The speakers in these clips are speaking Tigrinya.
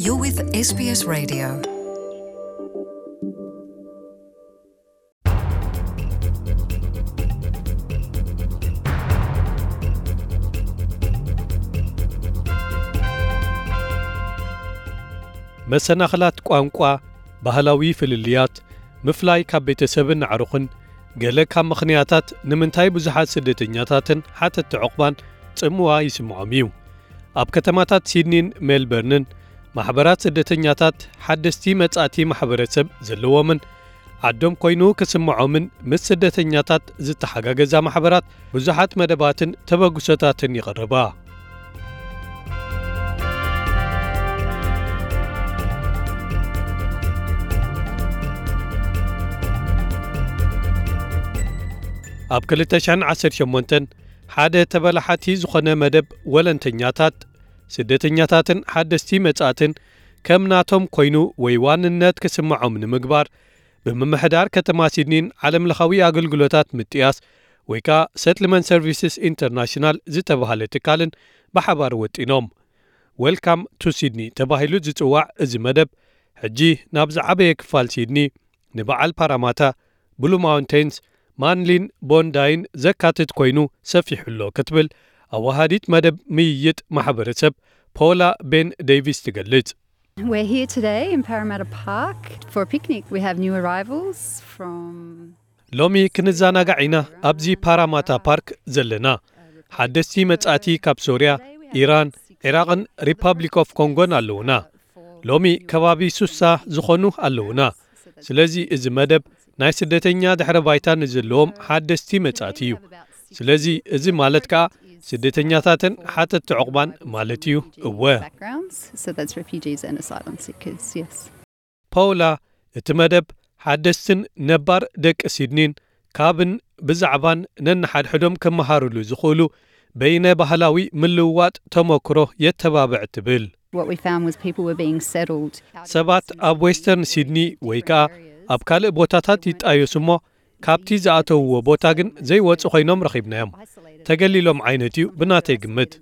You're with S B S Radio. መሰናኽላት ቋንቋ፣ ባህላዊ ፍልልያት፣ ምፍላይ ካብ ቤተሰብን ኣዕሩኽን፣ ገለ ካብ ምኽንያታት ንምንታይ ብዙሓት ስደተኛታትን ሓተትቲ ዑቕባን ጽምዋ ይስምዖም እዩ። ኣብ ከተማታት ሲድኒን ሜልበርንን፣ ማሕበራት ስደተኛታት ሓደስቲ መጻእቲ ማሕበረሰብ ዘለዎምን ዓዶም ኮይኑ ክስምዖምን ምስ ስደተኛታት ዝተሓጋገዛ ማሕበራት ብዙሓት መደባትን ተበግሶታትን ይቐርባ። ኣብ ክልተ ሽሕን ዓሰርተ ሸሞንተን ሓደ ተበላሓቲ ዝኾነ መደብ ወለንተኛታት፣ ስደተኛታትን ሓደስቲ መጻእትን ከም ናቶም ኮይኑ ወይ ዋንነት ክስምዖም ንምግባር፣ ብምምሕዳር ከተማ ሲድኒን ዓለምለኻዊ ኣገልግሎታት ምጥያስ ወይ ከኣ ሰትልመንት ሰርቪስስ ኢንተርናሽናል ዝተባህለ ትካልን ብሓባር ወጢኖም። ዌልካም ቱ ሲድኒ ተባሂሉ ዝጽዋዕ እዚ መደብ፣ ሕጂ ናብ ዝዓበየ ክፋል ሲድኒ፣ ንበዓል ፓራማታ፣ ብሉ ማውንቴንስ፣ ማንሊን ቦንዳይን ዘካትት ኮይኑ ሰፊሑ ኣሎ ክትብል ኣወሃዲት መደብ ምይይጥ ማሕበረሰብ ፖላ ቤን ዴቪስ ትገልጽ። We're here today in Parramatta Park for a picnic. We have new arrivals from ሎሚ ክንዘናጋዕ ኢና ኣብዚ ፓራማታ ፓርክ ዘለና። ሓደስቲ መጻእቲ ካብ ሶርያ፣ ኢራን፣ ዒራቕን ሪፓብሊክ ኦፍ ኮንጎን ኣለዉና። ሎሚ ከባቢ ሱሳ ዝኾኑ ኣለዉና። ስለዚ እዚ መደብ ናይ ስደተኛ ድሕረ ባይታ ንዘለዎም ሓደስቲ መጻእቲ እዩ። ስለዚ እዚ ማለት ከኣ ስደተኛታትን ሓተትቲ ዑቕባን ማለት እዩ። እወ። Backgrounds, so that's refugees and asylum seekers, yes. ፓውላ፣ እቲ መደብ ሓደስትን ነባር ደቂ ሲድኒን ካብን ብዛዕባን ነንሓድሕዶም ክመሃርሉ ዝኽእሉ በይነ ባህላዊ ምልውዋጥ ተመክሮ የተባብዕ ትብል። What we found was people were being settled out of ሰባት ኣብ ዌስተርን ሲድኒ ወይ ከኣ ኣብ ካልእ ቦታታት ይጣየሱ እሞ ካብቲ ዝኣተውዎ ቦታ ግን ዘይወጹ ኮይኖም ረኺብናዮም። ተገሊሎም ዓይነት እዩ ብናተይ ግምት።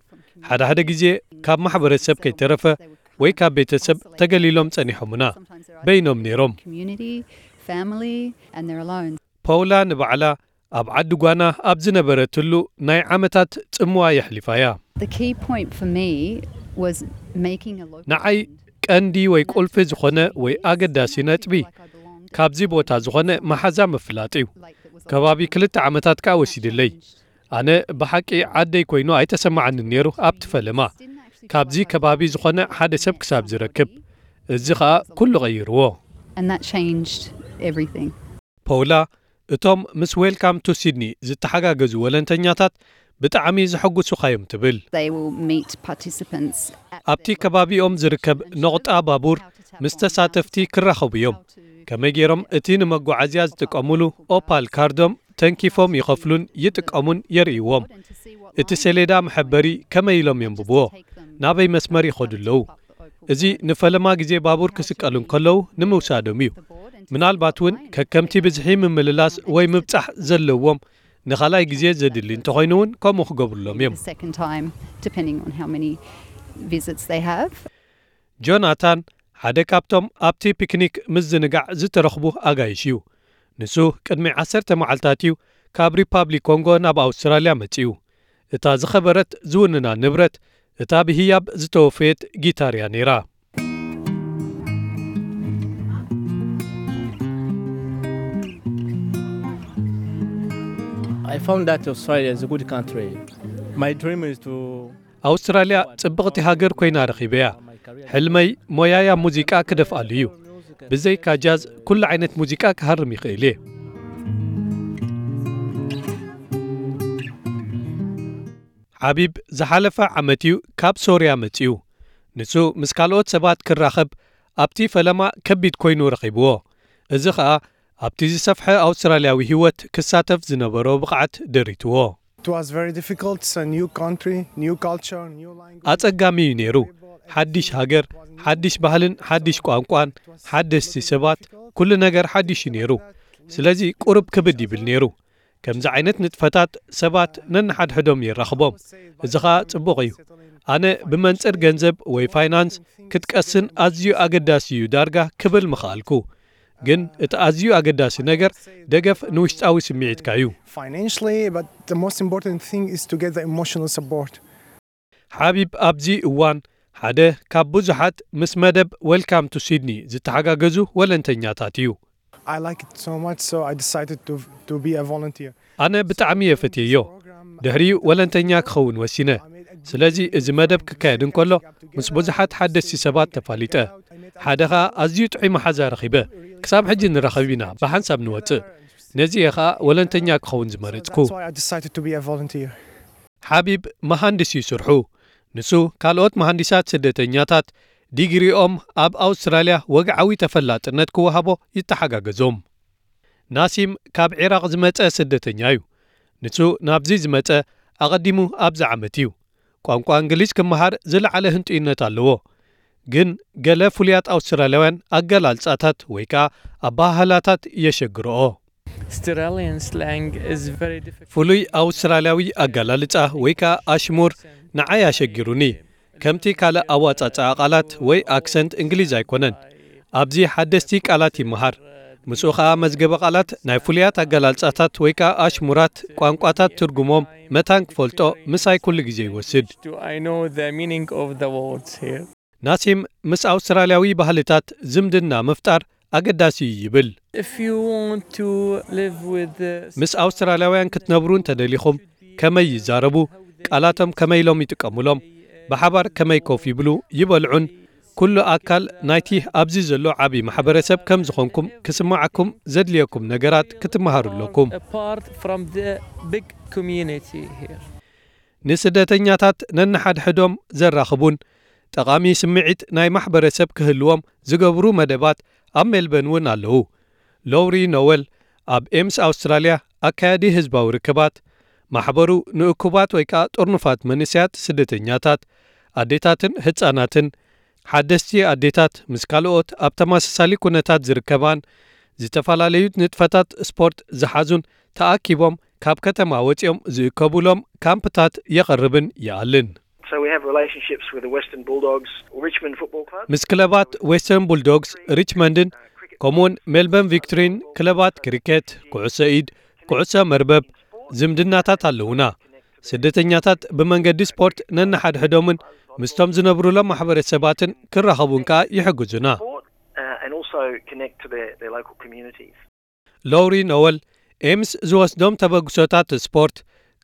ሓደ ሓደ ግዜ ካብ ማሕበረሰብ ከይተረፈ ወይ ካብ ቤተሰብ ተገሊሎም ጸኒሖምና። በይኖም ነይሮም። Community, family, and they're alone. ፓውላ ንባዕላ ኣብ ዓዲ ጓና ኣብ ዝነበረትሉ ናይ ዓመታት ጽምዋ የሕሊፋ እያ። The key point for me was making a local ንዓይ friend. ቀንዲ ወይ ቁልፊ ዝኾነ ወይ ኣገዳሲ ነጥቢ፣ ካብዚ ቦታ ዝኾነ መሓዛ ምፍላጥ እዩ። ከባቢ ክልተ ዓመታት ከኣ ወሲድለይ። ኣነ ብሓቂ ዓደይ ኮይኑ ኣይተሰማዓንን ነይሩ ኣብቲ ፈለማ። ካብዚ ከባቢ ዝኾነ ሓደ ሰብ ክሳብ ዝረክብ። እዚ ኸኣ ኩሉ ቀይርዎ። And that changed everything. ፓውላ፣ እቶም ምስ ዌልካም ቱ ሲድኒ ዝተሓጋገዙ ወለንተኛታት ብጣዕሚ ዘሐጉሱኻ እዮም ትብል። They will meet participants at ኣብቲ ከባቢኦም ዝርከብ ነቑጣ ባቡር ምስ ተሳተፍቲ ክራኸቡ እዮም። ከመይ ገይሮም እቲ ንመጓዓዝያ ዝጥቀሙሉ ኦፓል ካርዶም ተንኪፎም ይኸፍሉን ይጥቀሙን የርእይዎም። እቲ ሰሌዳ መሐበሪ ከመይ ኢሎም የንብብዎ? ናበይ መስመር ይኸዱ ኣለዉ? እዚ ንፈለማ ግዜ ባቡር ክስቀሉ እንከለዉ ንምውሳዶም እዩ። ምናልባት እውን ከከምቲ ብዝሒ ምምልላስ ወይ ምብጻሕ ዘለዎም ንኻልኣይ ግዜ ዘድሊ እንተኾይኑ እውን ከምኡ ክገብሩሎም እዮም። The second time, depending on how many visits they have. ጆናታን ሓደ ካብቶም ኣብቲ ፒክኒክ ምዝንጋዕ ዝተረኽቡ ኣጋይሽ እዩ። ንሱ ቅድሚ ዓሰርተ መዓልታት እዩ ካብ ሪፓብሊክ ኮንጎ ናብ ኣውስትራልያ መጺኡ። እታ ዝኸበረት ዝውንና ንብረት እታ ብህያብ ዝተወፈየት ጊታር እያ ነይራ። I found that Australia is a good country. My dream is to ኣውስትራልያ ጽብቕቲ ሃገር ኮይና ረኺበያ። ሕልመይ ሞያይ ኣብ ሙዚቃ ክደፍኣሉ እዩ። ብዘይካ ጃዝ ኩሉ ዓይነት ሙዚቃ ክሃርም ይኽእል እየ። ሓቢብ ዝሓለፈ ዓመት እዩ ካብ ሶርያ መጺኡ። ንሱ ምስ ካልኦት ሰባት ክራኸብ ኣብቲ ፈለማ ከቢድ ኮይኑ ረኺብዎ። እዚ ኸኣ ኣብቲ ዝሰፍሐ ኣውስትራልያዊ ህይወት ክሳተፍ ዝነበሮ ብቕዓት ደሪትዎ። It was very difficult. It's a new country, new culture, new language. ኣጸጋሚ እዩ ነይሩ። ሓድሽ ሃገር፣ ሓድሽ ባህልን ሓድሽ ቋንቋን፣ ሓደስቲ ሰባት፣ ኩሉ ነገር ሓድሽ እዩ ነይሩ። ስለዚ ቁሩብ ክብድ ይብል ነይሩ። ከምዚ ዓይነት ንጥፈታት ሰባት ነንሓድሕዶም የራኽቦም። እዚ ኸኣ ጽቡቕ እዩ። ኣነ ብመንጽር ገንዘብ ወይ ፋይናንስ ክትቀስን ኣዝዩ ኣገዳሲ እዩ ዳርጋ ክብል ምኽኣልኩ። ግን እቲ ኣዝዩ ኣገዳሲ ነገር ደገፍ ንውሽጣዊ ስምዒትካ እዩ። Financially, but the most important thing is to get the emotional support. ሓቢብ ኣብዚ እዋን ሓደ ካብ ብዙሓት ምስ መደብ Welcome to Sydney ዝተሓጋገዙ ወለንተኛታት እዩ። I like it so much, so I decided to, to be a volunteer. ኣነ ብጣዕሚ እየ ፈትየዮ። ድሕሪኡ ወለንተኛ ክኸውን ወሲነ። ስለዚ እዚ መደብ ክካየድ እንከሎ ምስ ብዙሓት ሓደስቲ ሰባት ተፋሊጠ። ሓደ ኸኣ ኣዝዩ ጥዑይ መሓዛ ረኺበ። ክሳብ ሕጂ ንራኸብ ኢና፣ ብሓንሳብ ንወጽእ። ነዚ እየ ኸኣ ወለንተኛ ክኸውን ዝመረጽኩ። That's why I decided to be a volunteer. ሓቢብ መሃንድስ እዩ ስርሑ። ንሱ ካልኦት መሃንዲሳት ስደተኛታት ዲግሪኦም ኣብ ኣውስትራልያ ወግዓዊ ተፈላጥነት ክወሃቦ ይተሓጋገዞም። ናሲም ካብ ዒራቕ ዝመጸ ስደተኛ እዩ። ንሱ ናብዚ ዝመጸ ኣቐዲሙ ኣብዚ ዓመት እዩ። ቋንቋ እንግሊዝ ክመሃር ዝለዓለ ህንጡይነት ኣለዎ። ግን ገለ ፍሉያት ኣውስትራልያውያን ኣገላልጻታት ወይ ከኣ ኣበሃህላታት የሸግርኦ። Australian slang is very difficult. ፍሉይ ኣውስትራልያዊ ኣገላልጻ ወይ ከኣ ኣሽሙር ንዓይ ኣሸጊሩኒ። ከምቲ ካልእ ኣዋጻጽኣ ቃላት ወይ ኣክሰንት እንግሊዝ ኣይኮነን። ኣብዚ ሓደስቲ ቃላት ይመሃር። ምስኡ ኸኣ መዝገበ ቃላት ናይ ፍሉያት ኣገላልጻታት ወይ ከኣ ኣሽሙራት ቋንቋታት ትርጉሞም መታን ክፈልጦ ምሳይ ኩሉ ግዜ ይወስድ። I know the meaning of the words here. ናሲም ምስ ኣውስትራልያዊ ባህልታት ዝምድና ምፍጣር ኣገዳሲ እዩ ይብል። If you want to live with the ምስ ኣውስትራልያውያን ክትነብሩ እንተደሊኹም ከመይ ይዛረቡ፣ ቃላቶም ከመይ ኢሎም ይጥቀሙሎም፣ ብሓባር ከመይ ኮፍ ይብሉ ይበልዑን ኩሉ ኣካል ናይቲ ኣብዚ ዘሎ ዓቢ ማሕበረሰብ ከም ዝኾንኩም ክስምዓኩም ዘድልየኩም ነገራት ክትመሃሩ ኣለኩም። Apart from the big community here. ንስደተኛታት ነንሓድሕዶም ዘራኽቡን ጠቓሚ ስምዒት ናይ ማሕበረሰብ ክህልዎም ዝገብሩ መደባት ኣብ ሜልበን እውን ኣለዉ። ሎውሪ ኖወል ኣብ ኤምስ ኣውስትራልያ ኣካያዲ ህዝባዊ ርክባት፣ ማሕበሩ ንእኩባት ወይ ከኣ ጥርኑፋት መንእሰያት ስደተኛታት፣ ኣዴታትን ህጻናትን፣ ሓደስቲ ኣዴታት ምስ ካልኦት ኣብ ተመሳሳሊ ኩነታት ዝርከባን ዝተፈላለዩ ንጥፈታት ስፖርት ዝሓዙን ተኣኪቦም ካብ ከተማ ወጺኦም ዝእከቡሎም ካምፕታት የቕርብን ይኣልን። So we have relationships with the Western Bulldogs, Richmond Football Club. ምስ ክለባት ዌስተርን ቡልዶግስ፣ ሪችመንድን ከምኡውን ሜልበርን ቪክቶሪን ክለባት ክሪኬት፣ ኩዕሶ ኢድ፣ ኩዕሶ መርበብ ዝምድናታት ኣለውና። ስደተኛታት ብመንገዲ ስፖርት ነንሓድሕዶምን ምስቶም ዝነብሩሎም ማሕበረሰባትን ክራኸቡን ከኣ ይሕግዙና። Uh, and also connect to their, their local communities. ሎውሪ ኖወል ኤምስ ዝወስዶም ተበግሶታት ስፖርት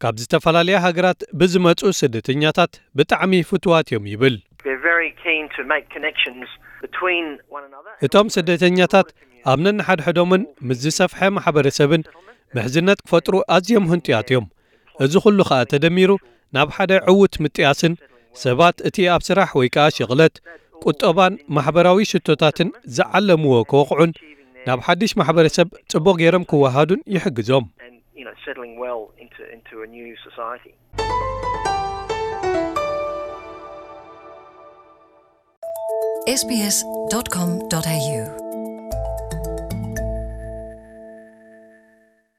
ካብ ዝተፈላለያ ሃገራት ብዝመጹ ስደተኛታት ብጣዕሚ ፍቱዋት እዮም ይብል። They're very keen to make connections between one another. እቶም ስደተኛታት ኣብ ነንሓድሕዶምን ምስ ዝሰፍሐ ማሕበረሰብን ምሕዝነት ክፈጥሩ ኣዝዮም ህንጡያት እዮም። እዚ ኩሉ ኸኣ ተደሚሩ ናብ ሓደ ዕዉት ምጥያስን ሰባት እቲ ኣብ ስራሕ ወይ ከኣ ሽቕለት፣ ቁጠባን ማሕበራዊ ሽቶታትን ዝዓለምዎ ክወቕዑን ናብ ሓድሽ ማሕበረሰብ ጽቡቕ ገይሮም ክወሃዱን ይሕግዞም። And you know, settling well into, into a new society. sbs.com.au